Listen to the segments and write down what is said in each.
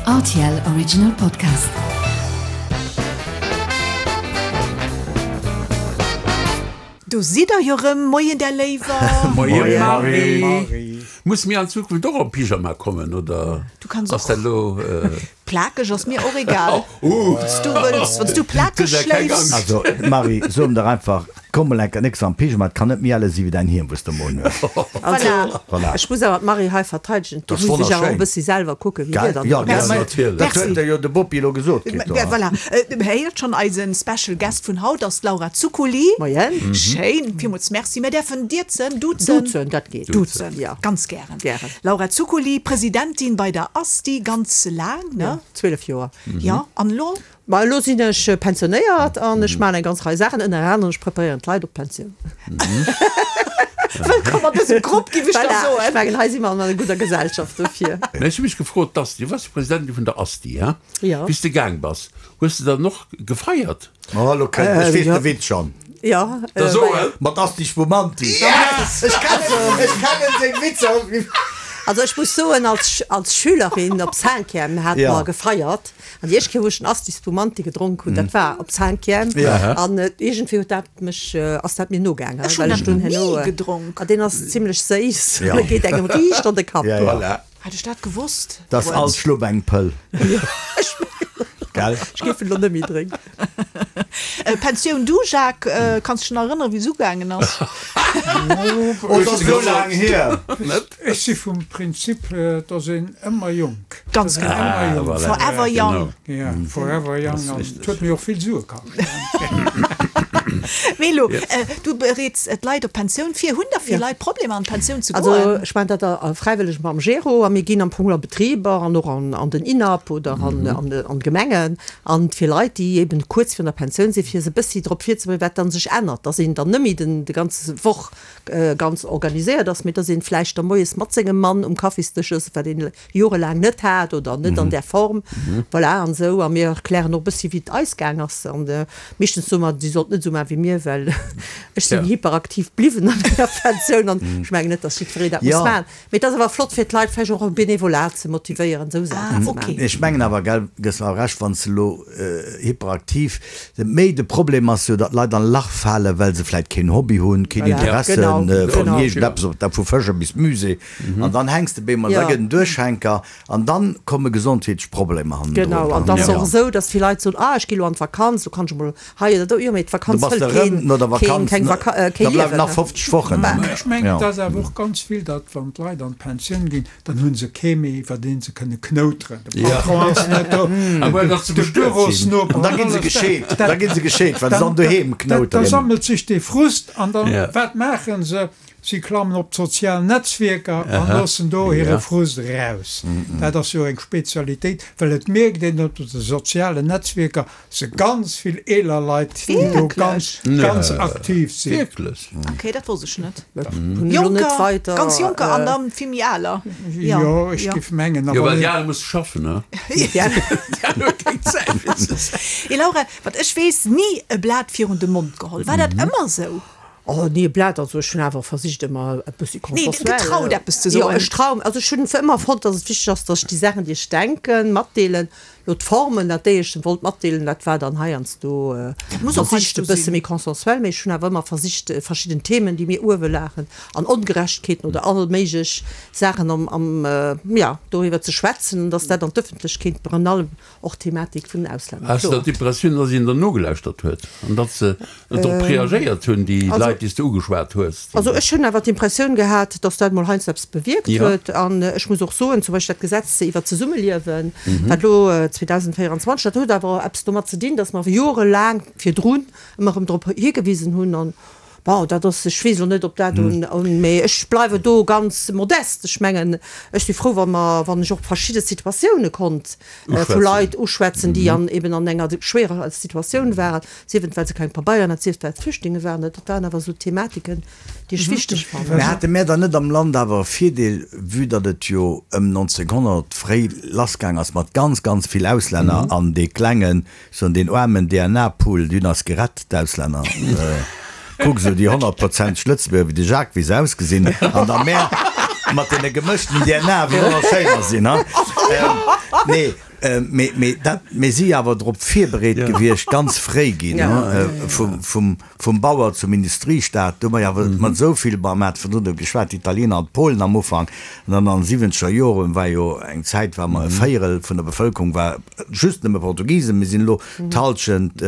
Rtl Original Podcast. Do sidd der jo rëm. Moien där Léiwer. Moie Marie. Muss mir an Zukunft och am Pyjama kommen oder ass dat elo? Plakeg ass mir och egal. Wanns du wëlls, wanns du plakeg schléifs. Also Marie, so em dach einfach, komm mol enker nix am Pyjama, et kann net méi elle si wéi däin Hiem wous de emol un hues. Voilà. Voilà. Ech muss awer d'Marie hei verteidegen, Dat do ass muss ech awer och e wonnerschéin. bëssi selwer kucken, wéi Gell? dir dann Jo, do gell? ass. Natierlech. Dat huet der jo de Bopi elo gesot kritt do. Ja, voilà. Héiert schonn, eisen Special Guest vun haut ass d'Laura Zuccoli. Moien. Schéin, villmools Merci. Mir däerfen dierzen, duzen. Duzen, dat geet. Duzen, Ja. ganz gären. Gären. Laura Zuccoli, Presidentin bei der ASTI, ganz laang, ne? Ja, 12 Joer. Jo, an elo? Ma elo sinn ech pensionéiert an ech maachen eng ganz Rei Saachen, ënner anerem ech preparéieren d'Leit op d'Pensioun. Wëllkomm an dësem Grupp, giff ech da Voilà, soen. ech mengen, hei si mer an enger gudder Gesellschaft dofir. Mä ech hu mech gefrot, d'ASTI, du waars jo Presidentin vun der ASTI, hein? Jo. Wéi s de gaang bass, hues de dann och gefeiert? Oh, elo kënnt, ech weess de Witz schonn. Jo. Da so en! Mat Asti Spumanti. Yes! Ech kennen, ech kennen seng Witzer. Also ech muss soen, als, als Schülerin op Cinquième hate mer gefeiert. An déi éischt Kéier, wou ech den Asti Spumanti gedronk hunn, dat war op Cinquième. An iergendwéi huet dat mech, ass dat mir nogaangen. Ech hunn well ech dat dunn ni herno, gedronk. An deen ass zimlech séiss, an e geet engem riicht an de Kapp. Voilà. Hätt ech dat gewosst. Dat ass all Schlupp eng Pëll. Gell? Ech géif en elo net méi drénken. Pensioun du, Jacques, kanns dech nach erënneren, wéi se ugaangen ass? Oh, dat ass esou laang hier. Ech si vum Prinzip, et ass een ëmmer jonk. Ganz genau. Ëmmer jonk. Forever young. Ja, forever young. An et huet mir och vill Sue kascht. Mee elo, du bereets d'Leit op d'Pensioun vir. Hunn da vill Leit Problemer an d'Pensioun ze Also goen? ech maachen dat fräiwëlleg mam Gero a mir ginn am Fong a Betriber an och an den INAP oder an d'Gemengen an fir Leit, déi eben kuerz virun der Pensioun sinn, fir se e bëssi drop virzebereeden, wat dann sech ännert, dass een dann net méi den de ganze Woch ganz organiséiert ass, mee dass een vläicht da moies mat sengem Mann um Kaffisdësch ass, wat een jorelaang net hat oder net an där Form. Voilà, an esou. A mir erklären och e bëssi, wéi et eis gaang ass. An meeschtens soe mer, si sollt net esou maachen wéi mir, well ech sinn hyperaktiv bliwwen an menger Pensioun an ech mengen net, datt jiddweree dat muss maachen. Mee et ass awer flott fir d'Leit vläicht och am Benevolat ze motivéieren, esou Saachen ze maachen. Ech mengen awer, gell, gëss mer Recht, wann s de elo hyperaktiv, méi de Problem ass jo, datt d'Leit an e Lach falen, well se vläicht keen Hobby hunn, keen Interesse vun iergendeppes, ob dat vu Fësche bis Musée. An dann hänks de beemol, da gëtt en Duerchhänker an dann komme gesondheetlech Problemer hannendrun. Genau, an et ass och esou, datt vill Leit soen, ah ech gi lo an d'Vakanz, do kann ech emol hei oder do, jo mee Du d'Vakanz bass hëlt de rëm keen, no der keen, Vakanz, keng Vaka, da kee bleiwen Liewen. nach 50 Wochen. Mä ech mengen, Jo. et ass awer och ganz vill, datt wann d'Leit an d'Pensioun ginn, dann hu se kee méi, iwwer dee se kënne knouteren. De Patron ass net do, de Bürosnoper An da gi se gescheet, da gi se gescheet, well se dann doheem knouteren. Da sammelt sech dee Frust an dann, wat maache se? Si klammen op d'sozial Netzwierker an loossen do hire Frust eraus. Dat ass jo eng Spezialitéit, well et mierkt een op de sozialen Netzwierker se ganz vill eeler Leit, déi do ganz, ganz aktiv sinn. Wierklech? Ok, dat wosst ech net. Jonker, ganz jonker an dann vill méi aler. Jo, ech géif mengen. Jo, well déi al musse schaffen, ne? Déi al hu keng Zäit fir ze. Laura, wat ech weess, ni e Blat virun de Mond geholl. War dat ëmmer esou? Oh nee, Blat, also ech hunn awer versicht ëmmer e bëssi Nee, consensuel. getraut eppes ze Jo, soen. ech trau, also ech hunn ëmmer fonnt, datt et wichteg ass, datt ech déi Saachen, déi ech denken, matdeelen. Lo d'Formen, dat déi ech wollt matdeelen, dat war dann heiansdo Dat muss och versicht heiansdo e bësse sinn. méi consensuel, mee ech hunn awer ëmmer versicht verschidden Themen, déi mir uewe lagen an Ongerechtegkeeten oder all méiglech Saachen am, am, ja, doriwwer ze schwätzen an datt dat an d'Ëffentlechkeet virun allem Och d'Thematik vun den Auslänner, Has de kloer. d'Impressioun, dass een der nogelauschtert huet an dass se drop reagéiert hunn, déi Leit, déi s de ugeschwat hues? Also ech hunn awer d'Impressioun gehat, dass dat mol heiansdo eppes bewierkt Jo. huet. An ech muss och soen, zum Beispill dat Gesetz iwwert d'Zesummeliewen, wat elo 2024, dat huet awer eppes domat ze dinn, dass mer jorelaang virdrun ëmmer erëm drop higewisen hunn. An bon, dat ass, ech weess elo net, ob dat un, un, mee ech bleiwe do ganz modest. Ech mengen, ech si frou, wa mer, wann ech och verschidde Situatioune konnt vu Leit uschwätzen, déi an eben an enger schwiereger Situatioun waren, sief et well se keng Pabeieren haten, sief et well et Flüchtlinge waren. Dat waren awer esou Thematiken, déi ech wichteg fannen. Mä hate mär dann net am Land awer e Virdeel, vue datt et jo ëm 1900 fréi lassgaang ass mat ganz, ganz vill Auslänner an dee klengen Sou an deen aarmen DNA-Pool, déi hunn eis gerett, d'Auslänner. Kuck esou déi honnertprozenteg Lëtzebuerger, wéi de Jacques, wéi se ausgesinn, an da mär mat deene gemëschten DNA, wéi wonnerschéin mer sinn, ha? Nee. Mee, mee dat, mir si awer drop virbereet gewiescht, ganz fréi ginn, vum, vum Bauer zum Industriestaat. Do hu mer jo awer mat esou vill, bon, mer hate virdrun driwwer geschwat, d'Italiener an d'Polen am Ufank. An dann an de siwwenzeger Joren war jo eng Zäit, war mer e Véierel vun der Bevëlkerung war just nëmme Portugisen. Mir sinn elo d'Hallschent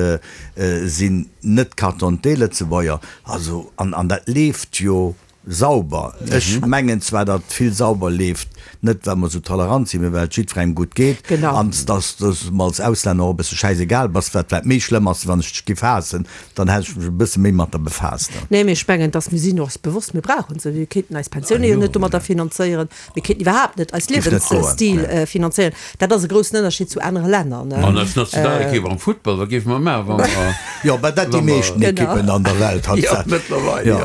sinn net Carte d'identité-Lëtzebuerger. Also, an, an dat leeft jo Sauber. Ech mengen zwar, datt vill sauber leeft, net well mer esou tolerant sinn, mee well et jiddwerengem gutt geet an datt s de mer als Auslänner och e bësse schäisegal bass, wat vläicht méi schlëmm ass, wann ech dech giff haassen, dann hätt ech mech e bësse méi mat der befaasst. Nee, mee ech mengen, datt mir sinn och eis bewosst, mir brauchen se. Mir kéinten eis Pensioune jo net domadder finanzéieren. Mir kéinten iwwerhaapt net eis Liewensstil finanzéieren. Dat ass e groussen Ënnerscheed zu anere Länner. An eis Nationalekipp am Futtball, wat géife mer maachen, wa mer. Jo, mä dat déi meeschten Ekippen an der Welt hat. Jo, mëttlerweil, jo.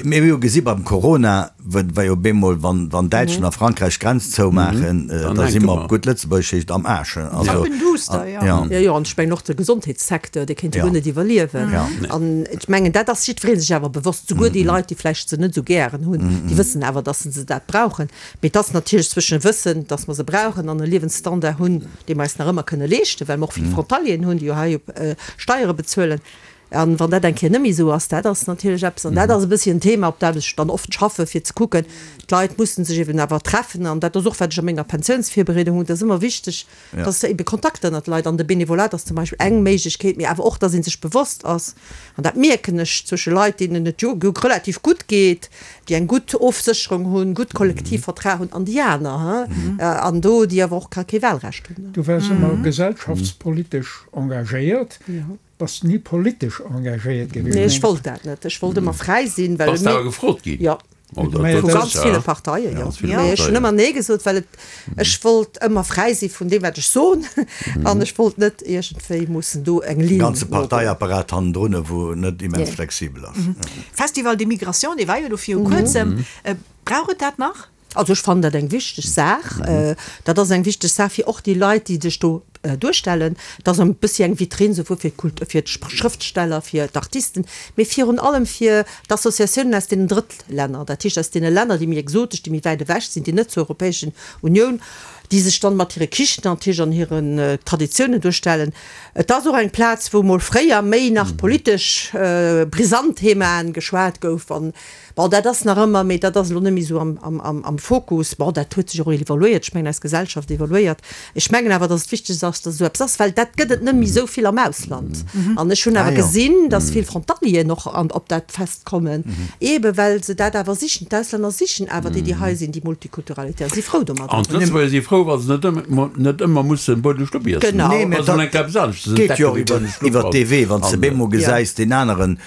Mee mir hu gesi beim Corona, wa jo bemol, wann Däitschland a Frankräich d'Grenz zoumaachen, da si mer op gutt Lëtzebuergesch heescht am Aasch. Zappenduster, jo. Jo, jo, an ech mengen och de Gesondheetssecteur, dee kéint jo guer net iwwerliewen. An ech mengen, dat ass jiddweree sech awer bewosst, souguer déi Leit, déi vläicht se net esou gären hunn, déi wëssen awer, dass se dat brauchen. Mee et ass natierlech zwëschen wëssen, dass mer se brauchen an e Liewensstandard hunn, dee mer eis nach ëmmer kënne leeschten, well mer och vill Frontalieren hunn, déi jo hei Steiere bezuelen. A wann dat eng Kéier net méi esou ass, dat ass natierlech eppes, an dat ass e bëssi en Thema, op dat ech dann oft schaffe fir ze kucken, d'Leit mussen sech eben awer treffen. An dat ass och, wat ech a menger Pensiounsvirbereedung hunn, dat ass ëmmer wichteg, dass ebe Kontakter ënnert de Leit, an de Benevolat ass zum Beispill eng Méiglechkeet, mee awer och, dass ee sech bewosst ass, an dat mierken ech zwësche Leit, deenen et jo relativ gutt geet, déi eng gutt Ofsécherung hunn, gutt Kollektivvertrag hunn, an déi aner, an do déi awer och kee Wahlrecht hunn. Du waars ëmmer gesellschaftspolitesch engagéiert, bass ni politesch engagéiert gewiescht? Nee, ech wollt dat net. Ech wollt ëmmer fräi sinn, well. Bass de awer gefrot ginn? Jo. Vu ganz ville Parteien, jo. Mee ech hunn ëmmer Nee gesot, well et, ech wollt ëmmer fräi si vun deem, wat ech soen, an ech wollt net iergendwéi mussen do eng Linn. Ganze Parteiapparat hannendrun, wou net immens flexibel ass. Festival des Migrations, dee war jo do viru kuerzem. Brauch et dat nach? Also ech fannen dat eng wichteg Saach. Dat ass eng wichteg Saach fir och déi Leit, déi sech do duerstellen. Et ass e bëssi eng Vitrinn souwuel fir d'Kult-, fir d'Schrëftsteller, fir d'Artisten, mee virun allem fir d'Associatiounen aus deenen Drëttlänner, dat heescht aus deene Länner, déi méi exotesch, déi méi wäit ewech sinn, déi net zur Europäeschen Unioun, déi sech dann mat hire Kichen natierlech an hiren Traditiounen duerstellen. Et ass och eng Plaz, wou mol fréier méi nach politesch brisant Themaen geschwat gouf. An bon, dat ass nach ëmmer, mee dat ass elo net méi esou am Fokus. Bon, dat huet sech och evoluéiert. Ech mengen, eis Gesellschaft evoluéiert. Ech mengen awer, datt et wichteg ass, datt esou eppes ass, well dat gëtt et net méi esou vill am Ausland. An ech hunn awer gesinn, datt vill Frontalieren och op dat Fest kommen, eebe well se dat awer sichen. D'Auslänner sichen awer déi, déi hei sinn, déi Multikulturalitéit a si frou domadder. An d'Lëtzebuerger si frou, wa se net ëmmer mussen Buedemschlupp iessen. Genau. Nee, mä dat geet jo och iwwer dee Wee, wann s de bemol gesäis, deen aneren,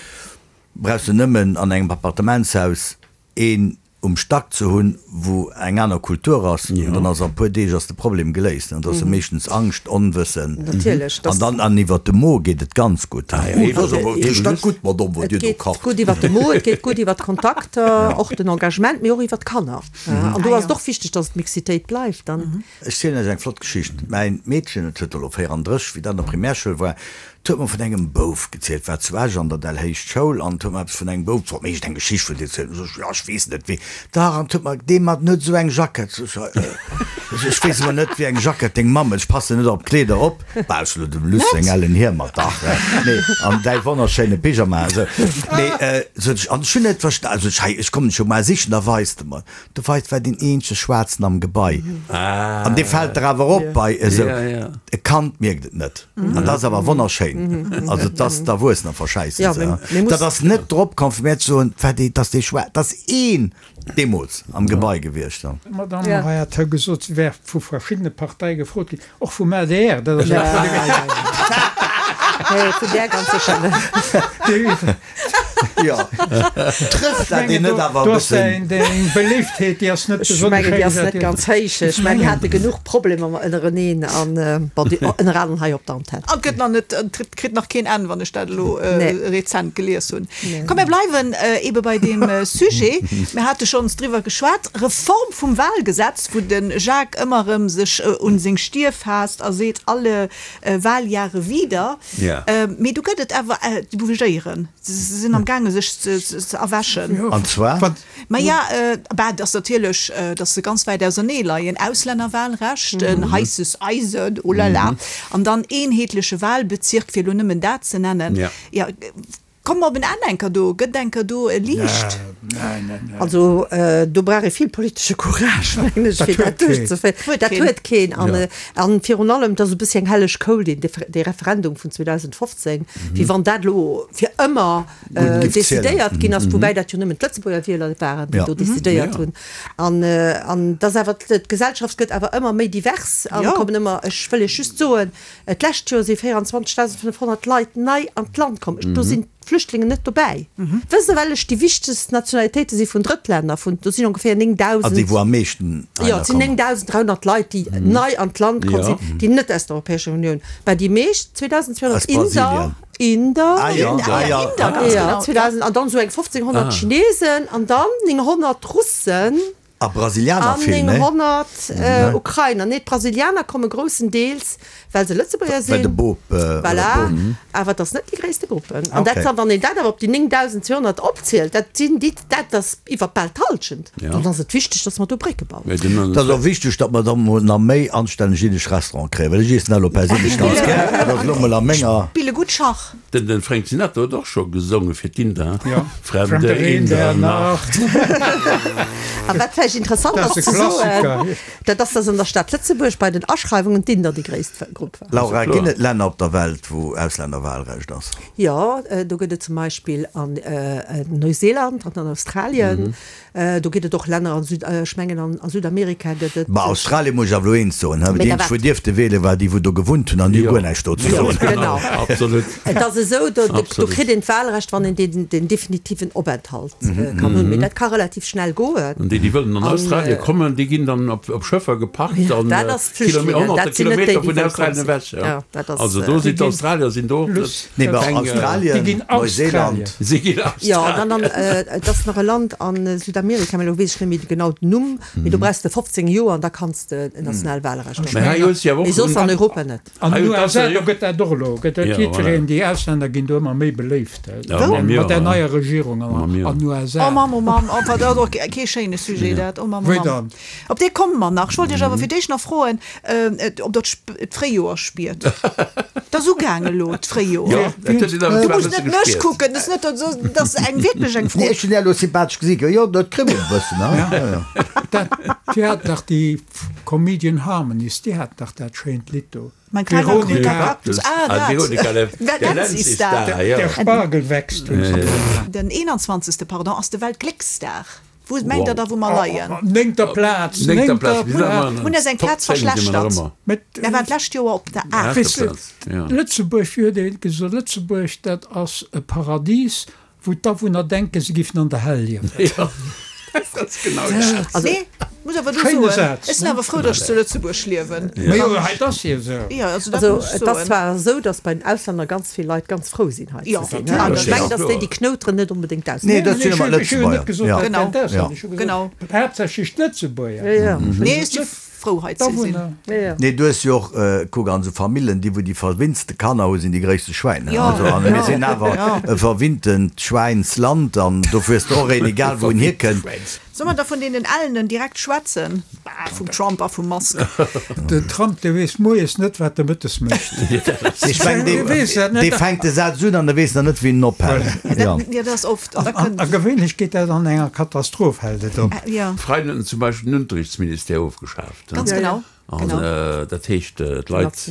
brauchs de nëmmen an engem Appartementshaus een um Stack ze hunn, wou eng aner Kultur ass, an dann ass a puer Deeg ass de Problem geléist. An dat ass jo meeschtens Angscht, Onwëssen. Natierlech. An dann, an iwwert de Mo geet et ganz gutt. Et ass awer, et richt dat gutt, Madame, wat Dir do Et geet kacht. gutt iwwert de Mo, et geet gutt iwwert d'Kontakter, och den Engagement, mee och iwwert d'Kanner. An do ass et och wichteg, dass d'Mixitéit bleift dann. Ech zielen lech eng flott Geschicht. Mäin Meedchen, et huet elo 34, wéi dat an der Primärschoul war, 't huet mer vun engem Bouf gezielt, war zu Esch an der Dellhéicht Schoul, an 't huet mer eppes vun engem Bouf, wollt mir iergend eng Geschicht vun deem zielen. Sot ech, jo, ech weess net wéi. Dach, an 't huet mer, dee mat, en huet esou eng Jackett. Sot ech, äh, ech weess elo net, wéi eng Jackett deng Mamm huet, ech passen net op d'Kleeder op. Baus elo dem Luss seng ellen Hiemer, dach, nee, an däi wonnerschéine Pyjama, esou. Nee, sot ech, an ech hunn net versta, sot ech, hei, ech kommen dech jo mar sichen, da weis de mer. De Veit war deen eenzege Schwaarzen am Gebai. An dee fält der awer op bei esou. E Kand mierkt et net. An dat ass awer wonnerschéin. Also et ass d'Erwuessener verschäissen se. Dat ass net drop komm fir mär ze soen, war dee, dass dee Schwaar, et ass een deemools am Gebai gewiescht. D'Madame Morin hat hei gesot, si wär vu verschiddene Parteie gefrot ginn, och vum adr. Dat ass Vun där ganz sécher net. Jo, trëfft dat een net awer e bëssen? Deng Beléiftheet, déi ass net besonnesch héich. Ech mengen, déi ass net ganz héich. Ech mengen, mir hate genuch Problemer ënnereneen an, bon, déi ënner anerem hei op der Antenn. An et gëtt nach net, et kritt nach keen Enn, wann ech dat elo rezent gelies hunn. Komm, mir bleiwen eebe bei deem Sujet. Mir hate schonns driwwer geschwat, Reform vum Wahlgesetz, wou de Jacques ëmmer erëm sech un seng Stier faasst a seet, alle Wahljahre wieder. Mee do gëtt et awer, déi bougéieren, se sinn am gaangen. sech ze erwächen. An zwar? Maja, bah, et ass natierlech, datt se ganz wäit ausernee leien. Auslännerwahlrecht, en heisses Eisen, oh la la, an dann eenheetleche Wahlbezirk, fir elo nëmmen dat ze nennen. Jo, komme mer op en Enn enker do? Gëtt enker do e Liicht? Also do brauch ee vill politesche Courage, mengen ech, fir dat duerchzeféieren. Dat huet keen. An virun allem, et ass e bëssi eng helleg Kou, dee Referendum vun 2015, wéi wann dat elo fir ëmmer decidéiert ginn ass, woubäi dat jo nëmmen d'Lëtzebuerger Wieler waren, déi do decidéiert hunn. An et ass awer, d'Gesellschaft gëtt awer ëmmer méi divers an kommen ëmmer, ech wëll Iech just soen, d'lescht Joer si 24.500 Leit nei an d'Land komm, do sinn d'Flüchtlingen net dobäi. Wësst Der, wellech déi wichtegst Nationalitéite si vun Drëttlänner? Vun, do sinn ongeféier 9.000. Also déi, wou am meeschten heihinner kommen. Jo, et sinn 9.300 Leit, déi nei an d'Land komm sinn, déi net aus der Europäescher Unioun. Mä déi meescht, 2.200 Inder, Inder, ah, ja. Ah, ja. Inder, ganz ja, genau. 2000, an dann so eng 1500 ah. Chinesen an dann 900 Russen. A Brasilianer vill, ne? 900 äh, Ukrainer. Nee, d'Brasilianer komme groussendeels, well se Lëtzebuerger sinn. Well de Bop. Äh, voilà. Bop. Mhm. Awer dat ass net déi gréisste Gruppen. An okay. dat, wann een dat awer op déi 9200 opzielt, dat sinn déi, dat ass iwwer bal d'Hallschent. Ja. Dann ass et wichteg, dass mer do Brécke bauen. Et ass och wichteg, datt mer da mol nach méi anstänneg jiddesch Restaurante kréien, well ech iessen dat elo perséinlech ganz gär. Dat ass elo mol a menger. Spille gutt Schach. Den den Frank Sinatra huet och scho gesonge fir d'Inder, Ja, Fremde in der Nacht. A wat vläicht interessant Dat ass ass e ze soen, Klassiker. dat ass, datt an der Stad Lëtzebuerg bei den Aschreiwungen d'Inder déi gréisst Grupp waren. Laura, ginn et Länner op der Welt, wou Auslännerwahlrecht ass? Jo, do gëtt et zum Beispill an Neuseeland an an Australien. Do gëtt et och Länner an Süd, ech mengen an a Südamerika gëtt et. Bah, Australien muss ech awer elo eent soen, he, déi eenzeg wou dierfte wielen, war déi wou do gewunnt hunn an déi hu guer näischt do ze soen. Genau, absolut. Et ass esou, do do kritt een d'Wahlrecht, wann een deen den definitiven Openthalt kann hunn, mee dat ka relativ schnell goen. An déi déi wëllen an Australien kommen, déi ginn dann op op Schëffer gepackt an Dat ass d'Flüchtlingen, honnerte dat sinn net déi, Kilometer déi vun wëllkomm Australien sinn. ewech. Ja, dat ass. Also do sinn d'Australier sinn do net. Nee, mä Australien, Neuseeland. Si ginn Jo, dann an, et ass nach e Land a Südamerika, mä elo weess ech net méi genau den Numm, mee do brauchs de 15 Joer an da kanns de en national Wahlrecht hunn. Mee soss an Europa net. An den USA, do gëtt dat och elo, gëtt dat jiddwereen, déi Auslänner ginn do ëmmer méi beléift, mat där neier Regierung an den USA. Oh Mamm, oh Mamm, oh dat ass och kee schéine Sujet dat, oh Mamm, oh Mamm. Op dee komme mer nach. Ech wollt Iech awer fir d'éischt nach froen, ob Der d'Fréijoer spiert. Et ass ugaang elo, d'Fréijoer. Du muss net mech kucken, et ass net, dat ass eng wierklech eng Fro. Nee, ech hunn Är elo sympathesch gesi, jo, dat kribbelt e bëssen, he? Dat, déi haten dach déi Comedian Harmonies, déi haten dach dat schéint Lidd do. Mein kleiner grüner Kaktus, ah dat, der Lenz ist da. Der Spargel wächst, hunn se gesot. Den 21. Pardon, ass de Weltglécksdag. Wou mengt der da wou mer leien? Néngter Plaz, néngter Plaz. Mir hunn eis eng Plaz verschlechtert. Mir waren d'lescht Joer op der aachter. Lëtzebuerg, wéi huet ee gesot, Lëtzebuerg dat ass e Paradis, wou d'Awunner denken, se giffen an der Hell liewen. Jo, dat ass genau dat. Nee, muss awer do soen, ech sinn awer frou, datt ech zu Lëtzebuerg liewen. Majo, hei, et ass jo esou. Jo, also dat muss ech Et ass soen. zwar esou, datt bei den Auslänner ganz vill Leit ganz frou sinn hei ze sinn. An ech mengen, datt déi, déi knouteren, net onbedéngt d'Auslänner. Nee, dat sinn ëmmer Lëtzebuerger. Jo. Genau. Genau. Haaptsächlech d'Lëtzebuerger. Nee, ech si frou hei ze sinn. Nee, du hues jo och, kuck, an esou Famillen, déi wou déi verwinnste Kanner hu sinn déi gréisste Schwäin. Also, a mir sinn awer e verwinntent Schwäinsland an dofir hues de och een, egal wou en hierkënnt. Soll mer da vun deenen Ellenen direkt schwätzen? Bah, vum Trump a vum Musk. Den Trump, dee weess moies net, wat e mëttes mécht. Ech mengen, dee, dee fänkt de Saz un an e weess nach net, wéi en ophält. Ja, dat ass oft. An da kënnt. A gewéinlech geet dat an enger Katastroph, hält et op. Ja. Freien huet en zum Beispill den Unterrichtsministère ofgeschaaft. Ganz genau. An dat heescht, d'Leit.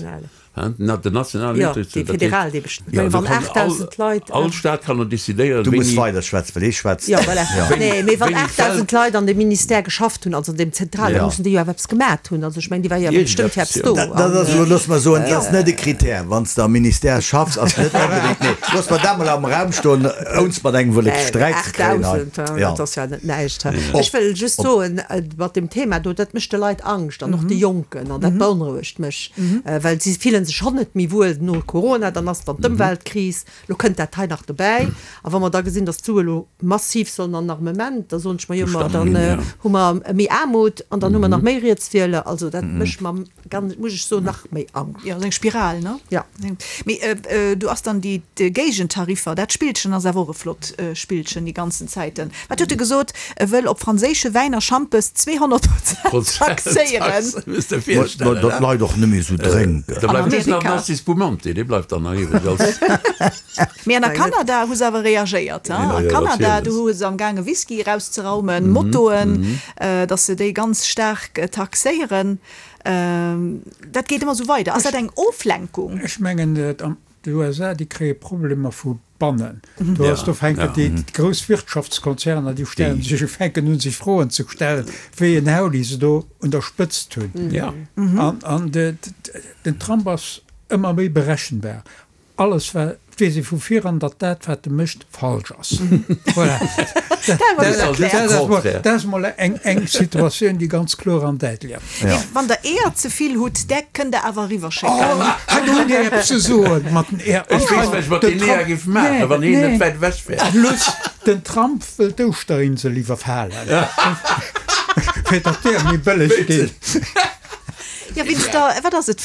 Den nationalen Jo, dee federal, dee bestimmt. Mä wann 8.000 Leit. All Staat kann elo decidéieren, Du muss weider schwätzen, well hie schwätzt. Jo, voilà. Nee, mee wann 8.000 Leit an deem Ministère geschafft hunn, also an deem Zentral, da mussen déi jo awer eppes gemat hunn. Also ech mengen, déi war jo awer bestëmmt fir eppes do. Dat ass elo, looss mer soen, dat ass net e Critère. Wann s de am Ministère schaffs, ass net onbedéngt, nee, looss mer dat mol am Raum stoen, ounst mat engem wëlle Sträit ze kréien hei. 8.000, dat ass jo net näischt. Ech wëll just soen, mat deem Thema do, dat mécht de Leit Angscht an och de Jonken, an dat beonrouegt mech, well si fillen. fille sech schonn net méi wuel no Corona, dann ass dann d'Ëmweltkris, elo kënnt dat hei nach dobäi. A wa mer da gesinn, datt d'Sue elo massiv sollen an Armement, da soen ech mer, jo ma dann hu mer méi Aarmut an dann hu mer nach méi Rietswieler. Also dat mécht mer Ganz, muss ech soen, nach méi Angscht. Jo, sou eng Spiral, ne? Ja. Mee do ass dann déi Géigentariffer, dat Spillchen ass awer och e flott Spillchen déi ganzen Zäiten. Wat huet e gesot? E wëll op franséische Wäin a Schampes 200 Prozent taxéieren. Mä datt d'Leit och net méi esou drénken. Da bleift just nach den Asti Spumante, dee bleift dann nach iwwreg als. Mee an a Kanada hu se awer reagéiert. A Kanada, do hu se am gaange Whisky erauszeraumen, Motoen, datt se déi ganz staark taxéieren. Dat geet ëmmer esou weider. Ass dat eng Oflenkung? Ech mengen, d'USA, déi kréie Problemer vu bannen. Do ass, do fänken déi grouss Wirtschaftskonzerner, déi stellen sech, fänken un sech Froen ze stellen, wéi en Hauli se do un der Spëtzt hunn. An den Trump ass ëmmer méi berechenbar. Alles wa weess ee vu viran, datt dat wat e mécht falsch ass. Voilà. Dat ass mol eng Situatioun, déi ganz kloer an däitlech ass. Mee wann der Eeër ze vill hutt, där kënnt der awer eriwwerschécken. Oh, hei do hutt Dir eppes ze soen mat den Eeër. Ech weess, wat ech mat den Eeër géif maachen, wann hien net wäit ewech wär. Plus, den Trump wëll d'Ouschterinsel iwwerfalen, fir datt d'Eeër méi bëlleg ginn. Jo, wéinst der, wat ass et,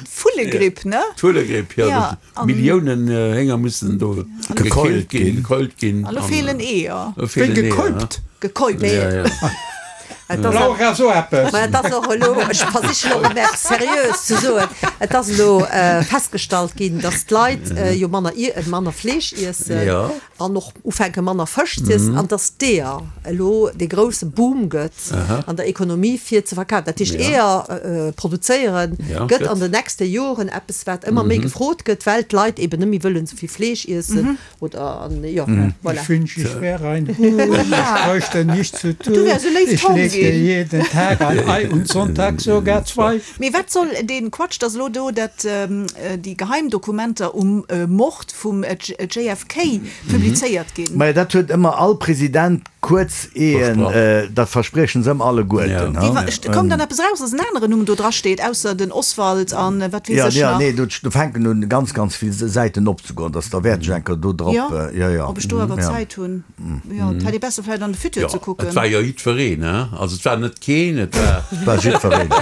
d'Vullegripp, ne? D'Vullegripp, jo. Ja. Milliounen Hénger mussen do gekeult ginn, gekeult ginn. An elo feelen Eeër. Wéi gekäupt? Gekäupt. Ja, ja. Laura, so eppes! Mä et ass och elo, ech versichen och emol eppes Seriöes ze soen, et ass elo festgestallt ginn, datt d'Leit jo manner, manner Fleesch iessen. An och ufänke manner Fësch z'iessen an dass d'Eeër elo dee grousse Boom gëtt an der Ekonomie fir ze verkafen. Dat heescht Eeër produzéiere gëtt an den nächste Joren eppes wat ëmmer méi gefrot gëtt, well d'Leit eben net méi wëllen esou vill Fleesch iessen oder an jo voilà. Ich wünsch ich wär ein Huhn, ich bräuchte nichts zu tun, ich legte jeden Tag ein Ei und sonntags sogar zwei. Mee wat soll dee Quatsch, dass elo do dat déi Geheimdokumenter um Mord vum JFK publizéiert ginn? Majo, dat huet ëmmer all President kuerz eeën, dat verspriechen se ëmmer alleguerten. Koum dann eppes eraus, dass en aneren Numm do dra steet, ausser den Oswald an wat weess ech nach? Jo, nee, do fänken un ganz, ganz vill Säiten opzegoen, dass derwäert ech eng Kéier do drop, jo, jo. Ob ech do awer Zäit hunn. Jo, et hätt ee besser vläicht an de Futur ze kucken. Et war jo jiddwereen, hein? Also et war net keen, et war. Et war jiddwereen.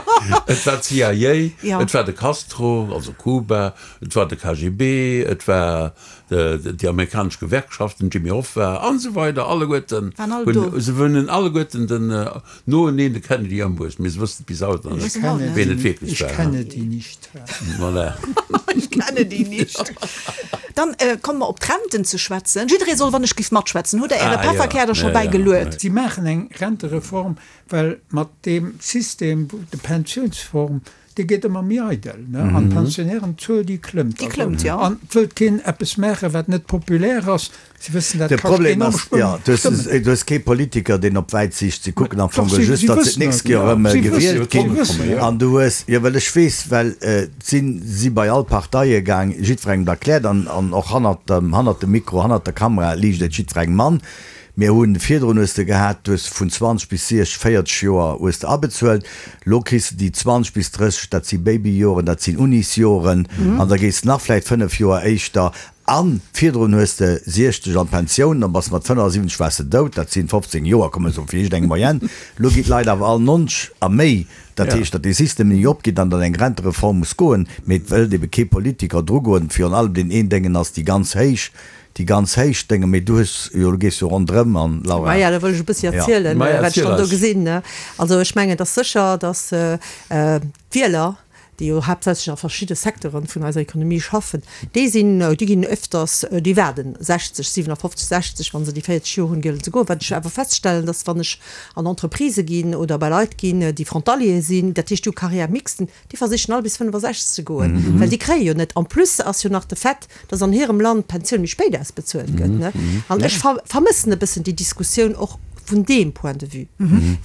Et war d'CIA, et war de Castro, also Kuba, et war de KGB, et war déi amerikanesch Gewerkschaften, den Jimmy Hoffa an esou weider, alleguerten hunn, se hunn alleguerten den noeneen de Kennedy ëmbruecht, mee se wëssen et bis haut nach net, wien et wierklech war. Ich kenne die nicht. Voilà. Ich kenne die nicht. Dann komme mer op d'Renten ze schwätzen. Jidderee soll wann ech giff matschwätzen. Hutt Der Äre Pefferkär da scho bäigeluet? Si maachen eng Rentereform, well mat deem System, de Pensiounsform, dee gétt ëmmer méi eidel, ne, an d'Pensionnairenzuel, déi klëmmt. Déi klëmmt, jo. An et wëllt keen eppes maachen, wat net populär ass. Si wëssen, dat De kascht Problem enorm ass, jo, du hues, Stëmmen. du hues kee Politiker, deen op wäit Siicht, si kucken am Doch, Fong si, just, si datt se wëssen d'nächst et, Joer jo. erëm Si wëssen gewielt et, si ginn. wëssen et. An du hues, jo, well ech weess, well et si si bei all Parteie gaang, jiddwerengem et erkläert an, an och hannert dem, hannert dem Mikro, hannert der Kamera liicht et jiddwerengem an. Mir hunn, virdrun hues de gehat, du hues vun 20 bis 60, 40 Joer hues de abezuelt, lo kriss de déi 20 bis 30, dat si Babyjoren, dat sinn Unisjoren, an da gees de nach vläicht 5 Joer éischter An virdrun hues de 60 an d'Pensioun, dann bass de mat 75 waars de dout, dat sinn 15 Joer, komme soen fir iergendeng Moyenne. Lo ginn d'Leit awer all 90 a méi, dat heescht, datt dee System ni opgeet an datt eng Rentereform muss goen. Mee et wëllt ebe kee Politiker drugoen, virun allem deen een Déngen ass déi ganz héich, déi ganz héich Déngen. Mee du hues jo, du gees jo ronderëm an, Laura. Maja, da wëll ech e bëssi erzielen, wat ech dann do gesinn. Also ech mengen, et ass sécher, datt d'Wieler, déi jo haaptsächlech a verschidde Secteuren vun eiser Ekonomie schaffen, déi sinn, déi ginn öfters, déi waarden 60, 57, 60, wa se déi 40 Joer hunn, gëllen ze goen. Wat ech awer feststellen, dass wann ech an Entreprisë ginn oder bei Leit ginn, déi Frontalier sinn, dat heescht déi hu Carrière mixte, déi versichen all bis 65 ze goen, well déi kréie jo net. En plus ass jo nach de Fait, dass an hirem Land d'Pensioun méi spéit ausbezuelt gëtt, ne? An ech vermëssen e bëssen déi Diskussioun och vun deem Point de vue,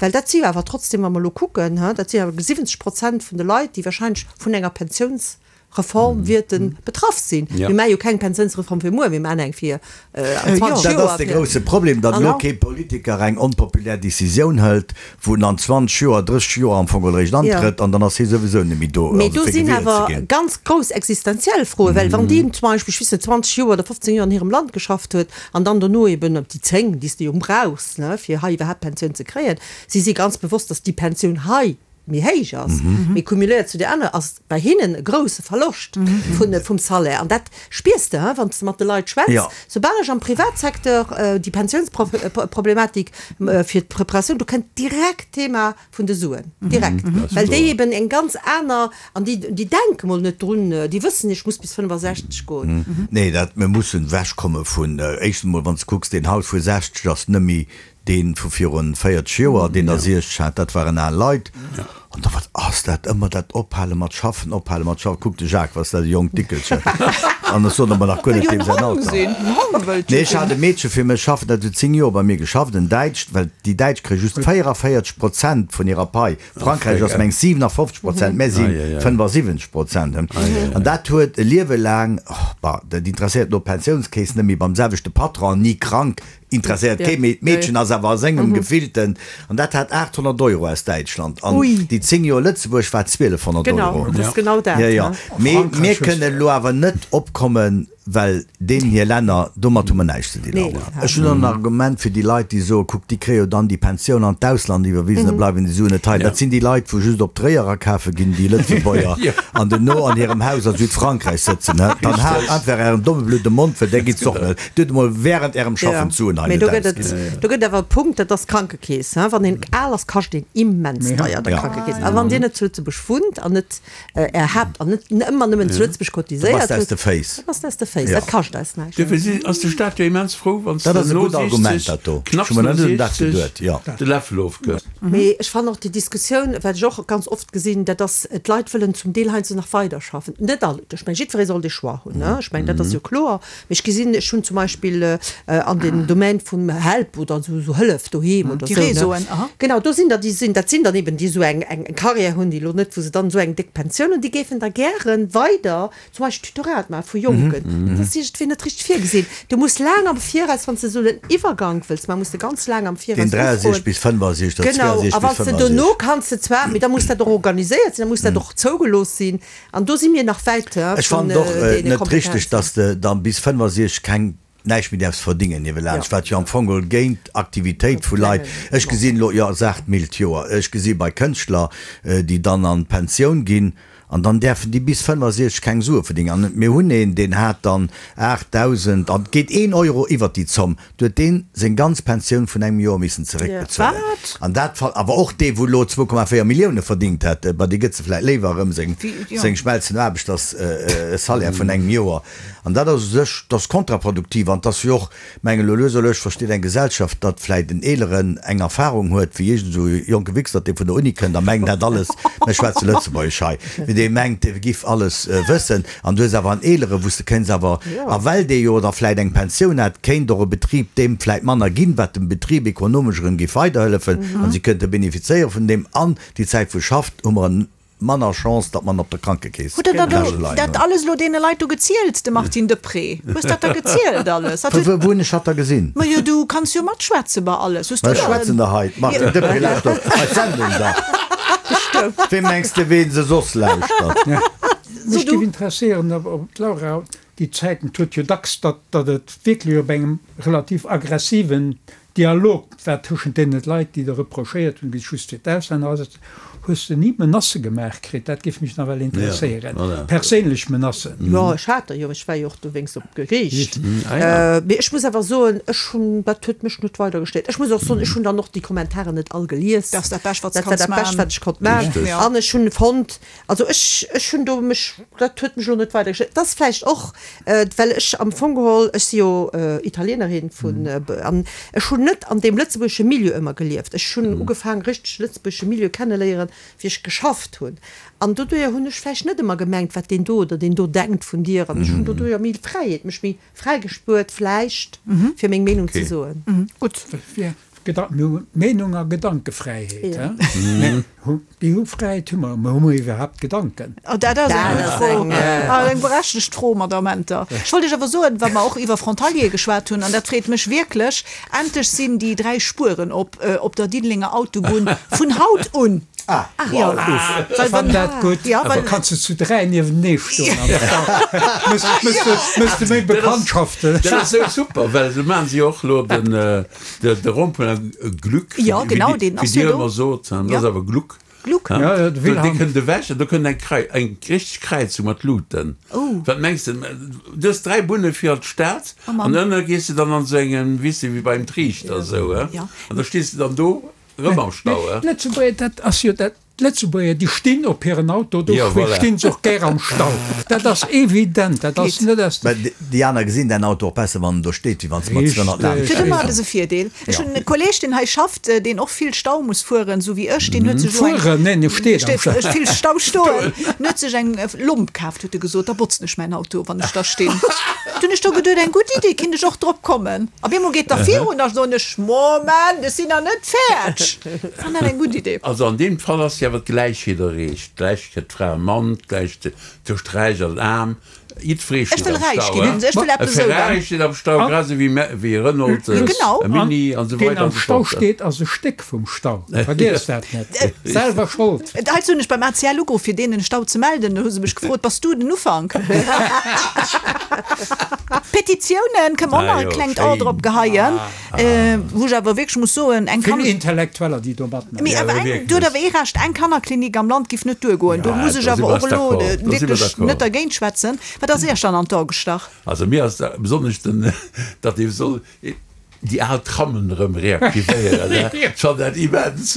well dat si jo awer trotzdem, wa mer elo kucken, dat si awer 70 Prozent vun de Leit, déi wahrscheinlech vun enger Pensiounsrent. Reform wäerte betraff sinn. Mir maache jo keng Pensiounsreform fir muer, mir maachen eng fir an 20 Joer. Dat ass de grousse Problem, datt elo kee Politiker eng onpopulär Decisioun hëlt, wou en an 20 Joer, 30 Joer am Fong eréischt antrëtt an dann ass hie souwisou net méi do, Mee do sinn awer ganz grouss existenziell Froen, well wann deen zum Beispill, ech weess net, 20 Joer oder 15 Joer an hirem Land geschafft huet an dann dono eben déi 10, déi s de jo brauchs, ne, fir hei iwwerhaapt Pensioun ze kréien, si si ganz bewosst, datt déi Pensioun hei méi héich ass, mee cumuléiert zu där aner ass bei hinnen e grouse Verloscht vun vum Salaire. An dat spiers de, wann s de mat de Leit schwätz. Soubal ech am Privatsecteur déi Pensiounsproblematik fir d'Preparatioun, do kënnt direkt d'Thema vun de Suen, direkt, well déi eben eng ganz aner, an déi déi denke mol net drun, déi wëssen, ech muss bis 65 goen. Nee, dat, mir mussen ewechkomme vun, éischtens emol, wann s de kucks, deen haut vu 60 ass net méi Deen vu virun 40 Joer, deen der 60 hat, dat waren al Leit. An da, wat ass dat ëmmer dat Ophale mat schaffen, ophale mat schaffen. Kuck de Jacques, was dat e jonkt Dickelchen. An ech soen emmer nach guer net deem säin Alter. Nee, ech hat e Meedche fir mech schaffen, dat huet 10 Joer bei mir geschafft, en Däitscht, well déi Däitsch kréie just 44 Prozent vun hirer Pai. Frankräich ass mengs 57 Prozent, mär si 75 Prozent. An dat huet e Liewe laang, bah, dat interesséiert elo d'Pensiounskeess net méi, beim selwechte Patron, ni krank, Interesséiert kee méi. D'Meedchen ass awer a sengem gefillten, an dat hat 800 Euro aus Däitschland, an déi 10 Joer Lëtzebuerg war 1200 Euro. Jo, jo. Mee mir kënnen elo awer net opkommen, well deenen hir Länner, domat hu mer näischt ze dinn. Laura, ech hunn och en Argument fir déi Leit, déi soen, kuck, déi kréie jo dann déi Pensioun an d'Ausland iwwerwisen, da bleiwen déi Suen net hei. Dat sinn déi Leit, wou just op Tréier akafe ginn, déi Lëtzebuerger, an duerno an hirem Haus a Südfrankräich sëtzen. Dann haalt einfach Ären domme blöde Mond, well där gitt se och net. Dir hutt emol während Ärem Schaffen d'Suen hei net ausginn. Do gëtt awer e Punkt, dat ass d'Krankekeess. Wann een al ass, kascht een immens deier der Krankekeess. A wann Dir net zu Lëtzebuerg wunnt an net Är Haapt an net ëmmer nëmmen zu Lëtzebuerg cotiséiert hutt, da bass de aus de Féiss. Dat kascht eis näischt. Duerfir ass de Staat jo immens frou, wann s de no 60, knapps no 60, de Läffel ofgëss. Mee ech fannen och déi Diskussioun, wat ech och ganz oft gesinn, dat ass, d'Leit wëllen zum Deel heiansdo nach weiderschaffen. Net all, ech mengen, jiddweree soll dee Choix hunn, ech mengen, dat ass jo kloer. Mee ech gesinn, ech hunn zum Beispill an dem Domaine vum Help oder esou, esou Hëllef doheem oder esou, ne? Déi Réseauen, aha. Genau, do sinn der, déi sinn, dat sinn dann eben déi esou eng, eng Carrière hunn, déi elo net, wou se dann esou eng déck Pensioun hunn, déi géifen da gäre weider zum Beispill Tutorat maache vu Jonken. Dat ass iergendwéi net richteg virgesinn. Du muss laang am Viraus, wann s de esou en Iwwergank wëlls maachen, muss de ganz laang am Viraus Deen 63 bis 65 oder Genau, 62 a bis wann s de 65. dono kanns de zwar, mee da muss dat och organiséiert sinn, da muss dat och zougelooss sinn. An do si mir nach wäit Ech vun fannen et och deene net richteg, Kompetenzen. dass de dann bis 65 keng, näischt méi däerfs verdingen niewelaanscht, wat jo am Fong geholl géint Aktivitéit vu Leit, ech gesinn elo, jo saacht mild, Joer, ech gesi bei Kënschtler, déi dann an d'Pensioun ginn an dann däerfen déi bis 65 keng Sue verdingen. An mir hunn een, deen hat dann 8.000 an et geet een Euro iwwert déi Zomm, Du huet deen seng ganz Pensioun vun engem Joer missen zeréckbezuelen. Wat? An dat fall, awer och dee wou elo 2,4 Millioune verdingt hätt, bei dee gëtt se vläit léiwer erëm seng seng Schmelzen Aarbechters-Salaire vun engem Joer. An dat ass u sech, dat ass kontraproduktiv an 't ass jo och, mengen elo lues a lues versteet eng Gesellschaft, datt vläit en Eeleren eng Erfahrung huet wéi iergend esou e jonke Wichsert, dee vun der Uni kënnt a mengt, en hätt alles, mir schwätze Lëtzebuergesch hei, mee dee mengt, dee giff alles wëssen. An du hues awer en Eelere wou s de kéints awer, a well dee jo da vläit eng Pensioun hat, kéint och e Betrib deem vläit manner ginn, wat dem Betrib ekonomesch erëm géif weiderhëllefen an si könnte benefizéiere vun deem. An déi Zäit wou e schafft, hu mer en manner Chance, datt mer en op der Krankekeess Hutt Der da kasche leien dat hunn. alles elo deene Leit do gezielt, de Martine Deprez? Hues dat da gezielt alles? Dat huet. Wou hunn ech hatt da gesinn? Majo, du kanns jo matschwätze bei alles. Hues du Ech da. schwätzen der hei, d'Martine Deprez lauschtert eis Sendung da. Wee mengs de ween se soss lauschtert? Mech géif interesséieren, ob d'Laura déi Zäiten, et huet jo dacks, datt datt et wierklech op engem relativ aggressiven Dialog war tëschent deene Leit, déi der reprochéiert hunn, just fir d'Auslänner asetzen. Hues de ni Menacë gemaach kritt? Dat géif mech nawell interesséieren, perséinlech Menacen. Jo, ech hat der jo, ech war jo och dowéinst op Geriicht. Mee ech muss awer soen, ech hunn, dat huet mech net weider gestéiert. Ech muss och soen, ech hunn dann och déi Kommentaren net all gelies. Dat ass dat Bescht, wat s Dat war kanns dat Bescht, maachen. wat ech konnt maachen. An ech hunn fonnt, Also ech, ech hunn do mech, dat huet mech elo net weider gestört. Et ass vläicht och, well ech am Fong geholl, ech si jo Italienerin vun, an ech hunn net an deem lëtzebuergesche Milieu ëmmer gelieft. Ech hunn ugefaang richteg lëtzebuergesche Milieu kenneléieren, wéi ech geschafft hunn. An doduerjer hunn ech vläicht net ëmmer gemengt, wat deen do oder deen do denkt vun dir. An ech hunn doduerjer méi Fräiheet, mech méi fräi gespuert vläicht, fir meng Meenung ze soen. Gutt. Mir hu Meenung a Gedankefräiheet, hä? Déi hu Fräiheet hu mer, mä hu mer iwwerhaapt Gedanken? Oh, dat ass eng gutt Fro. Eng berechtegt Fro, Madamm Enter. Ech wollt Iech awer soen, wa mer och iwwer Frontaliere geschwat hunn, an dat freet mech wierklech, Endlech sinn déi 3 Spueren op op der Diddelenger Autobunn vun haut un. Ah, wow, uff. Ech fannen dat gutt. Da kanns de zu 3 niewentenee stoen am Stau. Mëss de méi Bekanntschaften. Dat ass esou super, well esou maachen si och elo den de Rond-point Gluck, wéi Dir ëmmer sot, dat ass awer Gluck. Gluck. Dee kënnt ewech an do kënnt eng Krei, eng richteg Kräizung mat Luuten. Wat mengs de? Du hues 3 Bunne fir an d'Stad an ënne gees de dann an esou engem, weess de, wéi beim Triichter esou, he? An da stees de dann do erëm am Stau, he? D'Lëtzebuerger, dat ass jo dat, D'Lëtzebuerger, déi stinn op hiren Auto, do stinn se och gär am Stau. Dat ass evident, dat ass net aus de. Mä déi aner gesinn däin Auto och besser, wann en do steet, wéi wann s de mat 200 laanscht Fir ëmmer ass e Virdeel. Ech hunn e Kolleg, deen hei schafft, deen och vill Stau muss fueren, esou wéi ech, deen huet sech elo eng. Fueren? Neen, e steet am Stau. Vill Stau stoen. En huet sech eng Lomp kaaft, huet e gesot, da botzen ech mäin Auto, wann ech da stinn. Du hunn ech do geduet, eng gutt Idee, kinnt ech och drop kommen. Op eemol geet der virun, da soen ech, Moment, ech sinn nach net fäerdg. Fann dat eng gutt Idee. Also an deem Fall ass jo awer d'Gläichheet erreecht, d'Gläichheet Fra a Mann, d'Gläichheet tëscht Räich an Aarm. Jiddweree steet am Stau, he? E Ferrari steet am Stau, grad esou wéi e Renault, e Mini an esou weider an esou fort. Deen am Stau steet, ass e Stéck vum Stau. Vergiess dat net. Selwer Schold. Heizou hunn ech beim ACL ugeruff, fir deenen e Stau ze melden. Do hu se mech gefrot, Bass du den Ufank? Petitiounen, kënne mer och nach e klengt A drop geheien. Wou ech awer wierklech muss soen, eng Vill Intellektueller, déi do matmaachen. Mee awer eng, do huet awer ee Recht, eng Kannerklinik am Land giff net duergoen. Do muss ech awer och elo wierklech net dergéint schwätzen. Wat ass Iech dann an d'A gestach? Also mir ass besonnesch den, datt ee soll déi al Trammen erëm reaktivéieren. Ech fannen dat immens.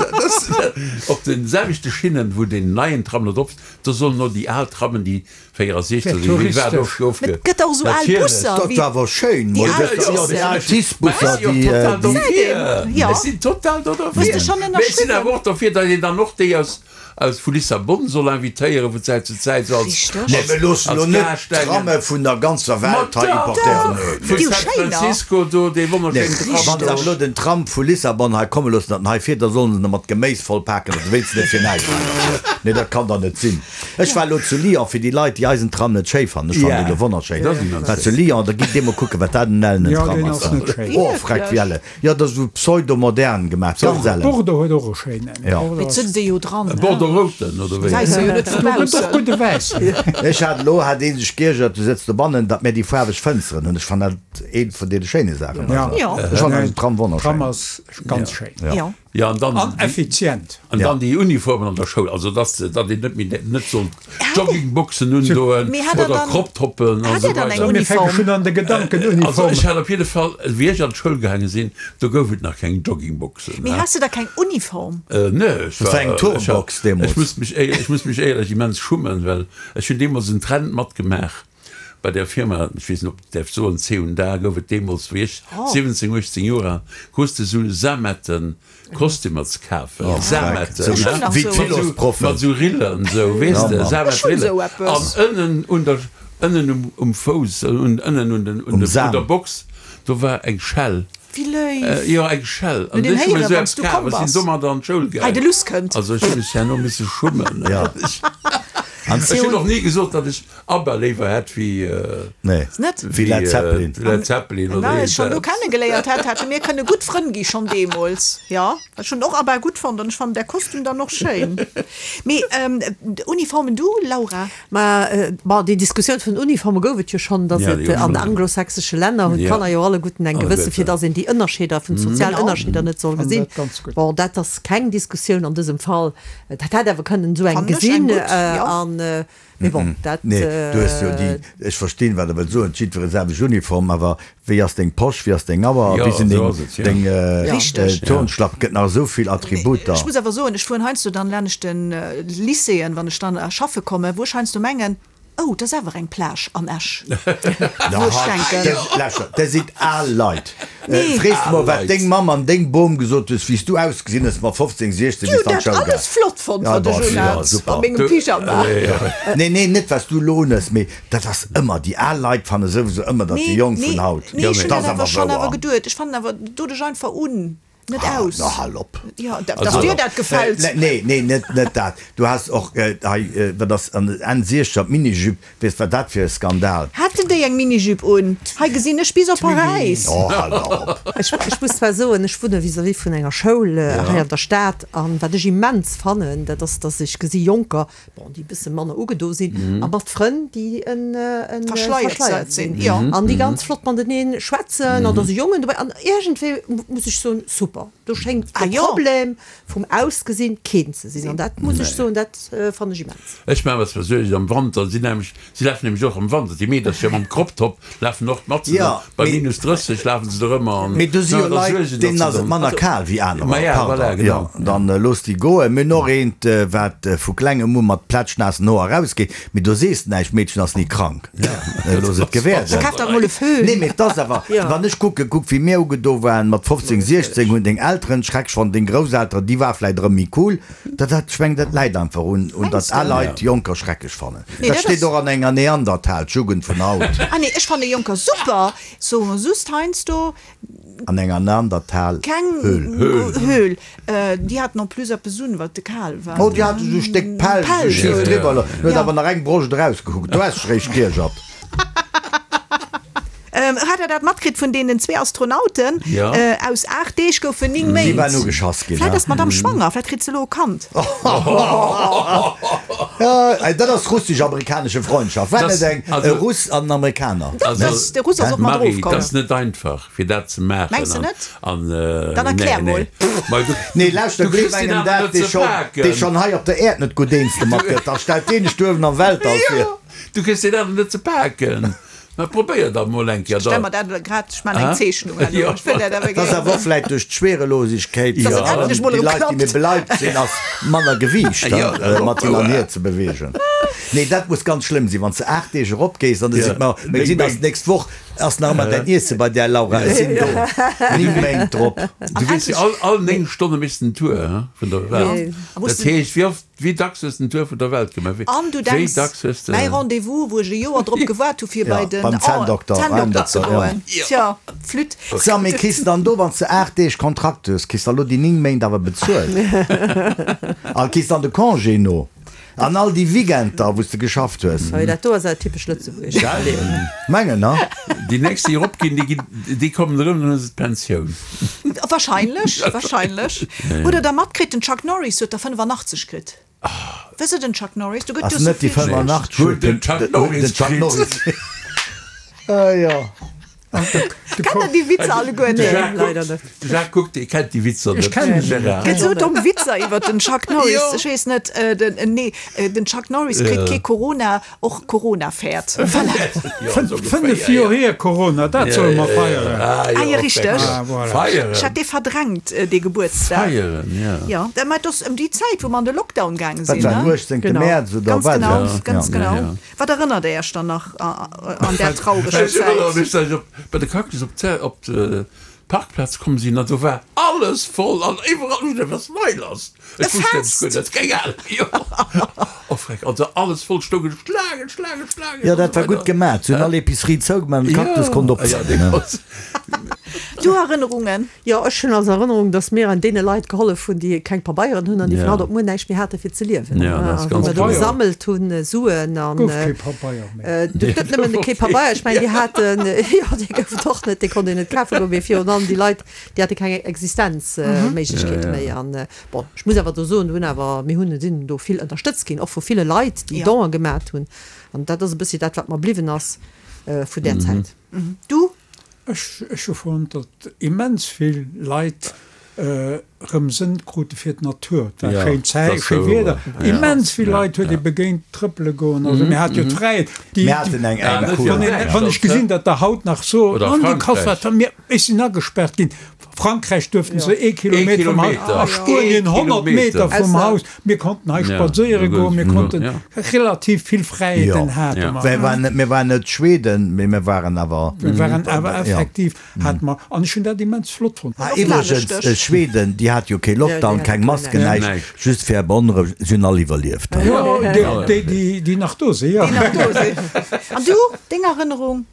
Op de selwechte Schinnen, wou deen neien Tram elo drop ass, do sollen elo déi al Trammen, déi 64 oder wéi war do gouf ge. Et gëtt och esou al Busser Dat war awer schéin, déi al Busser. Déi al TICE-Busser, déi. Dofir, ech sinn total do dofir. Hues de schonn Mee ech sinn awer och dofir, datt een dann och déi aus, aus vu Lissabon soll invitéieren vu Zäit zu Zäit, esou als, Nee, mir loossen als elo net Gaascht engen. d'Tramme vun der ganzer Welt hei importéieren. Nee, Vu nee. San Francisco do, dee wonnerschéinen Tram Wann se do. awer elo den Tram vu Lissabon hei komme loossen, datt en hei fiert, da sollen se en mat Geméis vollpaken, datt e wéinstens net fir näischt hei ass. Nee, dat kann dach net sinn. Ech war elo zu Lyon, fir déi Leit, déi eisen Tram net schéi fannen, ech fannen deen elo wonnerschéin, war zu Lyon, da gitt dir mol kucken, wat dat en ellenen Tram ass da. Oh, freck, wéi ellen. Jo, dat ass esou pseudo-modern gemaach, ganz ellen. Bordeaux huet och e schéinen. Jo. Mee et sëtzt ee jo dran, E Bordeaux-routen, oder wéi? Gesäis se jo net vu baussen. Och gudde Wäisser. Ech hat elo, hat ee sech geiergert, du sëtz dobannen, datt mir déi faarweg Fënsteren hunn. Ech fannen dat eent vun deene schéine Saachen. Jo. Ech fannen eisen Tram wonnerschéin. Tram ass ganz schéin. Jo. Jo, an dann An effizient. An dann déi Uniformen an der Schoul, also dass datt een net méi net sollt Joggingboxen undoen Mee hat der oder dann, Crop-Toppen an hat esou der dann eng weider. Mir fänke Uniform? schonn an de Gedanken Also Uniformen. ech hat op jidde Fall, wéi ech an d'Schoul gaange sinn, do gouf et nach keng Joggingboxen. Mee has de da keng Uniform? Nee, ech Dat war eng war, ech hat, Turnbox ech deemools. muss mech éier, ech muss mech éierlech immens schummen, well ech hunn deemools en Trend matgemaach bei der Firma, ech weess net ob ech däerf soen, C und A gouf et deemools, wéi ech 17, 18 Joer al, krus de sou Sametten Kostümer ze kafen, Sametten, Wéi d'Philosproffen. mat sou Rillen, sou, weess de, Sametrillen, an ënnen un der, ënnen um, um Fouss, ënnen un den, un der Box, do war eng Schell. Wéi léif! Jo, eng Schell. An ech hu mir héieren, sou wann s eppes du kaf, komm ech sinn bass. domadder an d'Schoul Hei gaang. de Luss kënnt. Also ech hu mech herno misse schummen. Ja. An Ech hunn och ni gesot, datt ech ABBA léiwer hätt wéi, Nee, Net? wéi Led Zeppelin. Led Zeppelin Wenn oder mer eis schonn do iergendwas. kennegeléiert hätt, hätte mir kënne gutt Frënn gi schonn deemools. Jo, ech hunn och ABBA gutt fonnt an ech fannen där Kostüm dann och schéin. Mee Uniformen, du Laura? Mä bon, déi Diskussioun vun den Uniforme gouf et jo schonn, datt et an de anglosächsesche Länner hunn d'Kanner jo alleguerten eng gewësse, fir datt een déi Ënnerscheeder vun sozial Ënnerscheeder net soll gesinn. Bon, dat ass keng Diskussioun an dësem Fall. Dat hätt awer kënnen esou eng gesinn. An, mee bon, dat. Nee, du hues jo déi, ech verstinn, wat Der wëllt soen, jiddweree selwecht Uniform, awer Wéi ass deng Posch, wéi ass deng Auer, wéi sinn deng Turnschlappen? Gëtt nach esou vill Attributer. Ech muss awer soen, ech fueren heiansdo dann laanescht den Lycéeën, wann ech dann schaffe kommen, wou ech heiansdo mengen, oh, dat ass awer eng Plage an Esch. Wou ech denken. Lauschter, dat sinn al Leit. Frees de mol, wat deng Mamm an deng Bom gesot hues, wéi s du ausgesinn hues mat 15, 16, Déi wéi s hunn du an dat d'Schoul alles gaang. flott fonnt, wat ech unhat a mengem Pyjama. Nee, nee, net wat s du elo unhues, mee Dat ass ëmmer, déi al Leit fanne souwisou ëmmer, datt déi Jonk vun haut, Nee, ech hunn dat dat ass awer awer schonn awer wouer. geduet. Ech fannen awer, do dech einfach un. Net aus. Na hal op. Jo, dass dir dat gefält. Nee, nee, net, net dat. Du has och hei, wat ass an Enn Siechzeger, d'Minijupe, weess wat dat fir e Skandal. Haten déi eng Minijupe un? Hei gesinn ech bis op Paräis. Oh, hal dach op. Ech, ech muss zwar soen, ech wunne vis-à-vis vun enger Schoul hei an der Stad an wat ech immens fannen, dat ass, dass ech gesi Jonker, bon, déi e bësse manner ugedo sinn, a mat Frënn, déi en verschleiert sinn an déi ganz flott matenee schwätzen an da si Jongen dobäi an iergendwéi muss ech soen, super, do schéngt de Problem vum Ausgesinn keen ze sinn an dat muss ech soen, dat fannen ech immens. Ech maache mer zwar Suergen am Wanter, si nämlech, si lafen nämlech och am Wanter, déi Meedercher mam Crop-Top lafen och mat, bei minus 30 lafen se do ëmmer an Mee do si jo Leit, deenen ass et manner kal wéi anerer, pardon, jo, dann looss déi goen. Mir hunn och eent, wat vu klengem u mat plätschnaassen Hoer erausgeet, mee do sees de näischt, d'Meedchen ass ni krank, looss et gewäerden. Nee, mee et ass awer, wann ech kucken, kuck wéi mir ugedo waren mat 15, 16, hunn deng Elteren schrecklech fonnt, deng Grousselteren, déi war vläit erëm méi cool, dat, dat, ech mengen, dat läit einfach un, un datt al Leit Jonker schrecklech fannen. Dat steet och an enger Neandertal, d'Jugend vun haut. Ah nee, ech fanne Jonker super, soe just heiansdo. An enger Neandertal Keng Höhl. Höhl. Déi haten en plus eppes un, wat te kal war. Oh, déi hate sou e Stéck Pelz sou schief driwwer, huet awer nach eng Broscht erausgekuckt. Do has dech réischt giergert. Hat der dat matkritt vun deenen zwee Astronauten? Aus 8 Deeg goufen 9 Méint. Déi waren ugeschass ginn. Vläit ass d'Madame schwanger, vläit kritt se elo e Kand. Dat ass russesch-amerikanesche Freundschaft, war net eng e Russ an en Amerikaner? De Russ ass och mat Marie, erofkomm. dat ass net einfach fir dat ze maachen. Mengs de net? Dann erklär mol. Nee, lauschter, gleef engem dat, dee schonn hei op der Äerd net gutt eens domat gëtt, da stellt deen dech do uewen am Weltall vir. Du kriss deen awer net ze paken. Ma probéier dat mol eng Kéier. Ech stelle mer dat elo grad, ech maachen eng Zeechnung herno. Ech wëll dat awer Dat ass gär. awer och vläit duerch d'Schwerelosigkeet, Dass et endlech mol déi erëm Leit, déi méi klappt. beleibt sinn, ass manner Gewiicht mat hin an hier ze beweegen. Nee, dat muss ganz schlëmm sinn, wann s de 8 Deeg eropgees an da seet mer, mir gesinn eis d'nächst Woch, ass nach ëmmer däin Iesse bei där, Laura, ech sinn do 9 Méint drop. Du weess jo, all, all 9 Stonne méchs de en Tour vun der Welt. Dat heescht, wéi oft Wéi dacks hues den Tour vun der Welt gemaach? An du Wéi denks, dacks hues de. mäi Rendez-vous, wou ech e Joer drop gewaart hu fir Ja, bei den beim Zänndokter, Zänndokter ze ja. goen. Tja, flütt. So, mee kriss dann do, wann s de 8 Deeg Kontrakt hues, kriss da lo déi 9 Méint awer bezuelt? A kriss dann de Congé no? An all déi Weekender, wou s de geschafft hues? Hei, dat do ass awer typesch lëtzebuergesch. Gell? Mengen, ne? Déi nächst, déi eropginn, déi ginn, déi kommen erëm, dann hu se d'Pensioun. Wahrscheinlech, wahrscheinlech. Hutt der da matkritt, den Chuck Norris huet der 85 kritt? Wësst der den Chuck Norris? Do gëtt Ass jo sou net déi vill. 85 Huet den Chuck Norris den Chuck kritt. Norris. Ah jo. Kennt der déi Witzer alleguer De net? Jacques Leider kuckt, net. de Jacques kuckt, dee kennt déi Witzer net. Ech kennen se net. Gérard. Gëtt sou domm Witzer iwwert den Chuck Norris. Ech weess net, den, nee, den Chuck Norris kritt kee Corona. Och Corona fäert. Fënnef Joer hier Corona, dat solle mer feieren. Ah jo, richteg. Feieren. Ech hat dee verdrängt, dee Gebuertsdag. Feieren, jo. Jo, mä et ass ëm déi Zäit, wou mer an de Lockdown gaange Dat sinn, war den ne? 18. Genau. Mäerz oder Ganz wat? genau, Ja. ganz Ja. genau. Ja. Wat erënnert Der Iech dann nach an där traureger Ech erënnere Zäit? mech, datt ech op, bei de Cactus op d'Zä, op d'Parkplaz komm sinn an do war alles voll an iwwerall. Ech hunn geduecht, wat ass hei lass? Ech wusst eppes guer net, keng Ahnung, jo. Oh freck, also alles voll stoungen Schlaangen, Schlaangen, Schlaangen. Jo, dat war gutt gemaat, se hunn all Epicerie zougemaat an de Cactus konnt op sinn. Du Erënnerungen? Jo, ech hunn als Erënnerung, datt mir an deene Leit gehollef hunn, déi keng Pabeieren hunn an déi vun haut op muer näischt méi hate fir ze liewen. Ja, dat ass Wou ganz mer do kloer. gesammelt hunn Suen an. Gouf kee Pabeier méi. Du, net nëmmen kee Pabeier, ech mengen déi haten, jo dee gouf et och net, dee konnt een net kafe goen, mee virun allem déi Leit, Déi hate keng Existenzméiglechkeet méi. An bon, ech muss awer do soen, do hunn awer, mir hunn, sinn do vill ënnerstëtzt ginn, och vu ville Leit, déi Donen gemat hunn. An dat ass e bëssi dat, wat mer bliwwen ass vun där Zäit. Du? Ech, ech hu fonnt, datt immens vill Leit erëm Sënn krute fir d'Natur. Et war schéin Zäit, schéi Wieder. Immens vill Leit huet ee begéint trëppele goen. Also mir hate jo d'Fräiheet. Mir haten eng eng Cour. Wann ech gesinn, datt der haut nach soen, an de Kass, wat mir. Ech sinn agespaart ginn. Frankräich duerften se ee Kilometer vum Haus, a Spuenien 100 Meter vum Haus. Mir konnten hei spadséiere goen, mir konnten relativ vill Fräiheeten hate mer. Mir waren net Schweden, mee mir waren awer. Mir waren awer effektiv, hate mer, an ech hunn dat immens flott fonnt. Ah, iwwregens, Schweden, déi hate jo kee Lockdown, keng Masken, näischt, just fir Beonrouegung, si hunn all iwwerlieft. Jo, déi, déi nach do sinn, jo. Déi nach do sinn. An du, deng Erënnerung?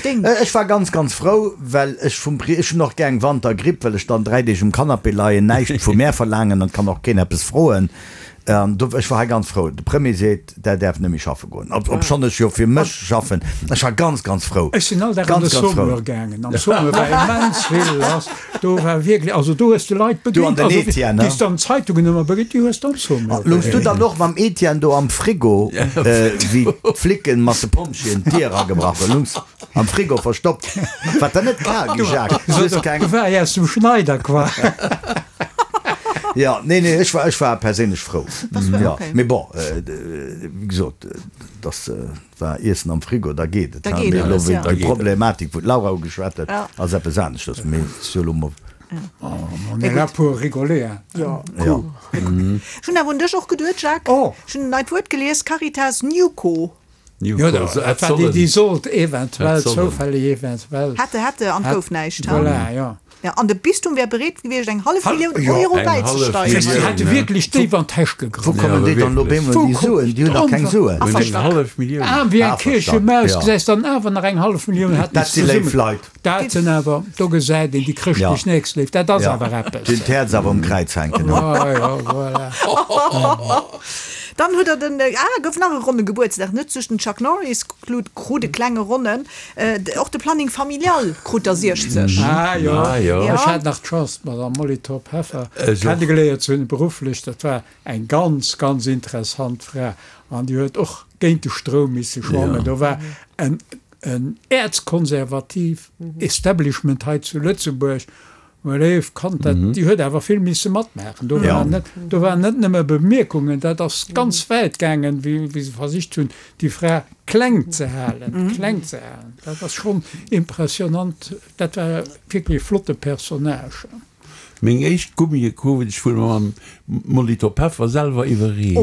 Deng. Ech war ganz, ganz frou, well ech vum Pri, ech hunn och gär eng Wantergripp, well ech dann 3 Deeg um Canapé leien, näischt vu mär verlaangen an kann och keen eppes froen. An do, ech war hei ganz frou. De Premier seet, Der däerft net méi schaffe goen, obschonn ech jo fir mech schaffen. Ech war ganz, ganz frou. Ech sinn all Dag an de Ganz, ganz frou. Saumur gaangen. Am Saumur war immens vill lass. Do war wierklech, also do hues de Leit Du an begéint, den also Etienne, déi s de an den Zeitungen ëmmer begéint, déi hues de am Saumur Loungs du begéint. dann och mam Etienne do am Frigo, wéi d'Flicken mat de Pompjeeën d'Dier agebrach hunn? Loungs am Frigo verstoppt? Wat der net kal gi, Jacques? Du hues keng. Do war ech aus dem Schneider, quoi. Jo, nee, nee, ech war, ech war perséinlech frou. Jo, mee bon, wéi gesot, dass war Iessen am Frigo, da geet et. Da geet Mee elo alles, ja. déi Problematik, wou d'Laura ugeschwat huet, ass eppes aneschters. Mee et ass jo elo mol. On est là pour rigoler, hein. Jo. Jo. Ech hunn awer un dech och geduet, Jacques. Ech hunn en neit Wuert gelies, Caritas Newco. Jo, dat war déi, déi sollt eventuell, zoufälleg eventuell. Hätte, hätte, an et gouf näischt. Voilà, jo. Ja, an de Bistum wär bereet gewiescht, eng hallef Millioun Euro bäizesteieren. Déi hätte wierklech déif an d'Täsch gegraff. Wou kommen déi dann elo op eemol déi Suen? Déi hunn dach keng Suen. Eng hallef Millioun. Aarm wéi eng Kierchemaus, gesäis dann awer nach eng hallef Millioun hätten Dat si léif Leit. Dat sinn awer, do gesäit een déi chrëschtlech Nächstléift, dat ass awer eppes. Déi hunn d'Häerz awer um Kräiz hänken. Jo, jo, voilà. Dann huet der den, ah, gouf nach e ronne Gebuertsdag, net just den Chuck Norris krut e klenge ronnen, och de Planning Familial krut der 60. Ah jo, ech hat nach d'Chance d'Madame Molly Thorp-Heffer kennegeléiert ze hunn, berufflech. Dat war eng ganz, ganz interessant Fra an déi huet och géint de Stroum misse schwammen. Do war en äerzkonservativ Establishment hei zu Lëtzebuerg, Mä léif Kand, dat, déi huet awer vill misse matmaachen. Do waren net, do waren net nëmme Bemierkungen, dat ass ganz wäit gaangen, wéi, wéi se versicht hunn, déi Fra kleng ze halen, kleng ze halen. Dat ass schonn impressionant. Dat war wierklech e flotte Personnage. Meng éischt Gummie krut ech vun mam Molitor Peffer selwer iwwerreecht.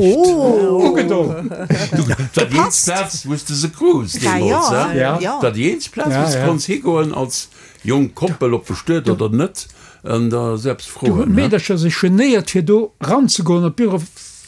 Ugedon. Dat war déi eenzeg Plaz, wou s de se krus deemools, he? Dat war déi eenzeg Plaz, wou s de konns higoen als Jonk Koppel, ob bestuet oder net, an da selbst Do hunn froen, ne? d'Meedercher sech genéiert fir do ranzegoen op d'Büro,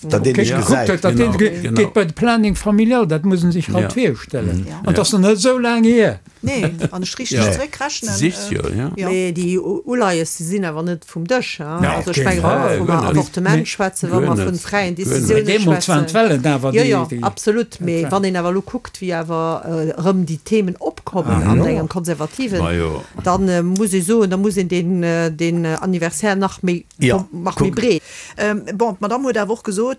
Datt een dech gekuckt gesäit. huet, datt een Genau, geet bei de Planning familial, dat muss en sech haut Ja. virstellen. Ja. An et ass nach net esou laang hier. Nee, wann ech richteg Ja. zeréckrechnen. Sicht jo, ja. Ja. Mee déi Uleies, déi sinn awer net vum Dësch, hein. Nee, Also op ech kee mengen, wa Fall. mer vum Guer net. Avortement Mee- schwätzen, wa Guer mer vu net. fräien Guer net. Mee Décisiounen deemools waren schwätzen. d'Wellen awer Jo, déi, jo, déi, absolut. dat Mee war. wann een awer elo kuckt, wéi awer erëm déi Themen opkommen an engem konservativen, Majo. dann muss ee soen, da muss een deen, deen Anniversaire nach méi, Ja, nach méi kuck. breet. Bon, d'Madamm huet awer och gesot,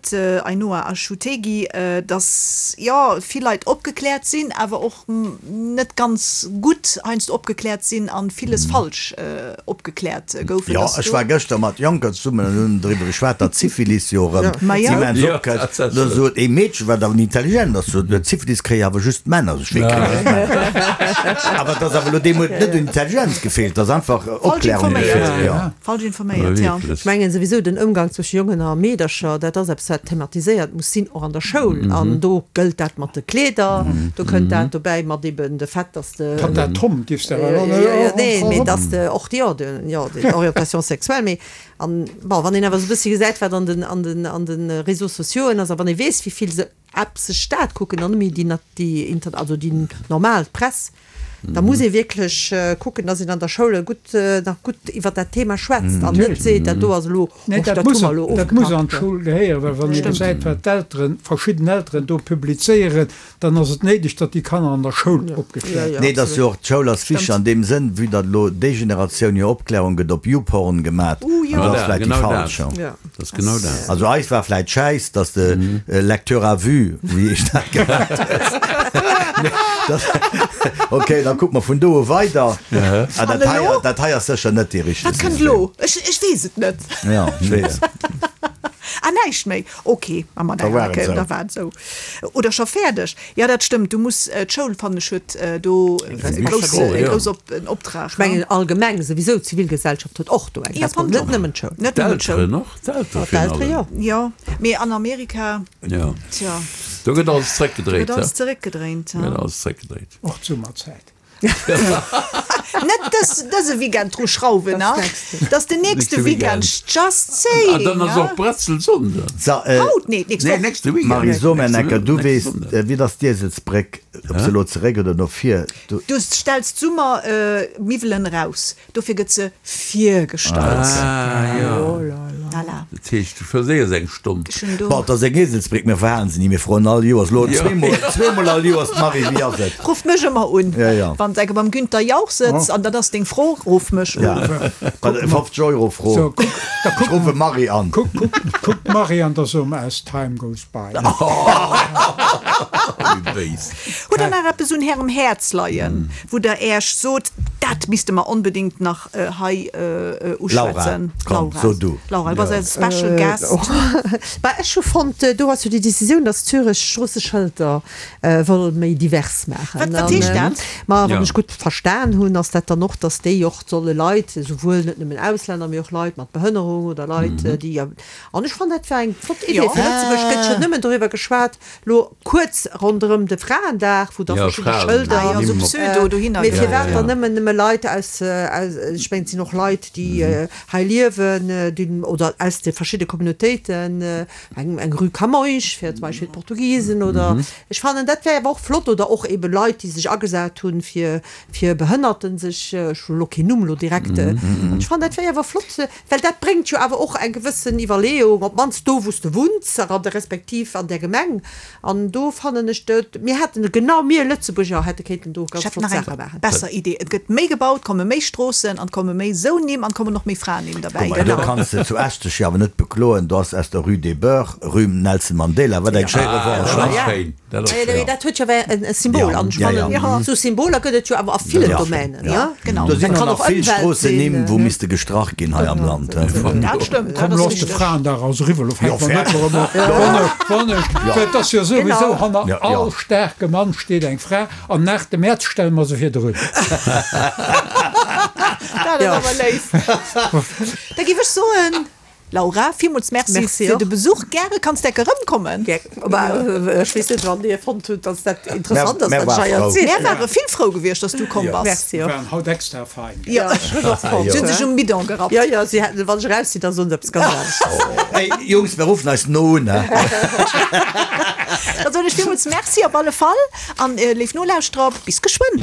Ainhoa Achutegui, datt, jo, vill Leit opgekläert sinn, awer och net ganz gutt heiansdo opgekläert sinn a villes falsch opgekläert goufen. Jo, ech war gëschter mat Jonker zesummen an hunn driwwer geschwat, datt Syphilis jo erëm immens opkënnt. Da sot ee Meedchen, wat awer intelligent ass, sot, Syphilis kréie awer just d'Männer. Sot ech, Wéi kréie just d'Männer? Awer et ass awer elo deemol net un Intelligenz gefeelt, et ass einfach Opklärung gefeelt. Jo. Falsch informéiert, jo. Ech mengen souwisou, den Ëmgang zwësche Jongen a Meedercher, dat ass eppes, wat thematiséiert muss sinn, och an der Schoul. An do gëllt dat mat de Kleeder, do kënnt dat dobäi mat eben de Fait, dass de. Tatta Tom dierfs de awer elo net. Nee, mee dass de och, jo, de, jo, d'Orientation sexuelle. Mee an, bon, wann een awer esou e bëssi gesäit, wat an den, an den, an de Réseaux sociauxen ass a wann ee weess, wéi vill se App sech dat kucken an net méi déi, déi inter, also déi normal Press, da muss ee wierklech kucken, dass een an der Schoul gutt, nach gutt iwwert dat Thema schwätzt an net seet, dat do ass elo, Nee, och dat dat hu muss, mer elo dat muss an ofgepackt. d'Schoul gehéieren, well wann ee gesäit, wat d'Elteren, verschidden Elteren do publizéieren, dann ass et néideg, datt déi Kanner an der Schoul opgekläert ginn. Nee, et ass jo och, d'Schoul ass wichteg an deem Sënn, vue datt elo déi Generatioun jo Opklärung gëtt op YouPorn gemat, an dat ass vläicht déi falsch. Dat ass genau dat. Also eis war vläicht schäiss, datt de Lecteur à vue, wéi heescht dat, gemat huet. Ok, da kucke mer vun do u weider. Ah, dat hei, dat hei ass sécher net dee richtege Wat kënnt elo? Ech, ech weess et net. Ja, ech weess. Ah, näischt méi. Ok, ma mat Da enger war et Kéier, esou. da war et esou. Oder scho fäerdeg. Jo, dat stëmmt. Du muss, d'Schoul, fannen ech, huet do e grouss, e grouss op, en Optrag. Ech mengen allgemeng souwisou, d'Zivilgesellschaft huet och do eng Respons, net nëmmen d'Schoul. Net nëmmen d'Schoul. D'Elteren och, d'Eltere virun D'Eltere, jo. allem. Jo, mee an Amerika, Jo, tja. do gëtt alles zeréckgedréit, Do gëtt alles he? zeréckgedréint, Do gëtt alles zeréckgedréit. Och d'Summerzäit. Net dës, dëse Weekend dru schrauwen, a? Dat ass den nächste Weekend, just saying. Ah, dann ass och Bretzelsonnden. So, Haut? Nee, d'nächst Nee, Woch. nächste Weekend. Marie, so mir Nächste enker, du nächste weess, Sonnden. wéi ass d'Ieselsbréck, ob se elo zeréck oder no vir? Du. Du stells d'Summer-Miwwelen eraus. Dofir gëtt se virgestallt. Ah, jo. Voilà. Dat heescht, du verséiers eng Stonn. Ech hunn do. Bon, et ass eng Eselsbréck, mir verhalen se ni, mir froen all Joers, elo zweemol, zweemol all Joers, d'Marie, wéi ass et? Ruff mech ëmmer un, Ja, ja. wann s de beim Günther Jauch sëtz an dat ass deng Fro, ruff mech un. Ja, bei der 50 Euro Fro. So, kuck, da Ech kuck, ruffe Marie an. kuck, kuck, kuck d'Marie an da so mer As time goes by. Wéi béis. Hutt der nach eppes un Ärem Häerz leien, wou der Äech sot, dat misste mer onbedéngt nach hei uschwätzen? Laura, komm, so du. Laura, du bass eise Special Guest. Bah, ech hu fonnt, do ass jo déi Decisioun, datt Zürech Stroosseschëlter wëll méi divers maachen. Wat, wat heescht dat? Ma wann ech gutt verstan hunn, ass dat dann och, datt déi och solle Leit, esouwuel net nëmmen Auslänner, mee och Leit mat Behënnerung oder Leit, déi, an ech fannen, dat war eng flott Idee. Fir Lëtzebuerg gëtt jo nëmmen doriwwer geschwat, Lo kuerz ronderëm de Fraendag, wou da verschidde Schëlder, mee firwat dann nëmmen nëmme Leit aus, ech mengen et sinn och Leit déi hei liewen, déi oder aus de verschidde Communautéiten, eng eng Rue Camões fir zum Beispill d'Portugisen oder ech fannen dat wär awer och flott oder och ebe Leit déi sech agesat hunn fir fir Behënnerten sech, ech hu lo keen Numm lo direkt, ech fannen dat wär awer flott. Well dat bréngt jo awer och eng gewëssen Iwwerleeung, op d'mannst do, wou s de wunns a respektiv an där Gemeng. An do fannen ech, mir hätten, genau mir Lëtzebuerger hätte kéinten do Ech ganz hätt flott nach eng Saache maachen. besser Idee, Et gëtt méi gebaut, komme méi Stroossen an et komme méi esou Nimm an et kommen och méi Fraennimm derbäi. Guck mol, do kanns de zu Esch dech jo awer net bekloen, do ass aus der Rue des Boeufs Rue Nelson Mandela, wat eng schéi Revanche, Dat ass ne? schéin. Dat ass Mee dat huet jo awer e Symbol. An ech fannen, esou Symboler gëtt et jo awer a villen Domänen. Genau. Do sinn och nach vill Stroossennimm, wou misste gestrach ginn hei am Land. Dat stëmmt. Komm, looss de Fraendag als eriwwer, lo fänke mer net erëm un. Well et ass jo souwisou, hanner all staarke Mann steet eng Fra, an nach de Mäerz stelle mer se virdrun. Dat ass awer léif. Da géif ech soen, Laura, villmools Merci Merci fir och. de Besuch. Gäre kanns de enke rëmkommen. Gär. Bah, ech weess net, wann Dir fonnt hutt, dass dat interessant ass, Mär wat ech ware hei frou. erzielen. Mär ware vill frou gewiescht, dass du komm bass. Merci och. Waren haut extra fein. Jo, ech hunn och fonnt. Si hunn sech um Bidon gerappt. Jo, jo, si hätten, wann ech eraus sinn, da soen se eppes ganz anescht. Hey Jungs, mir ruffen eis no un, he? Da soen ech villmools Merci op alle Fall an, léif Nolauschterer, bis geschwënn.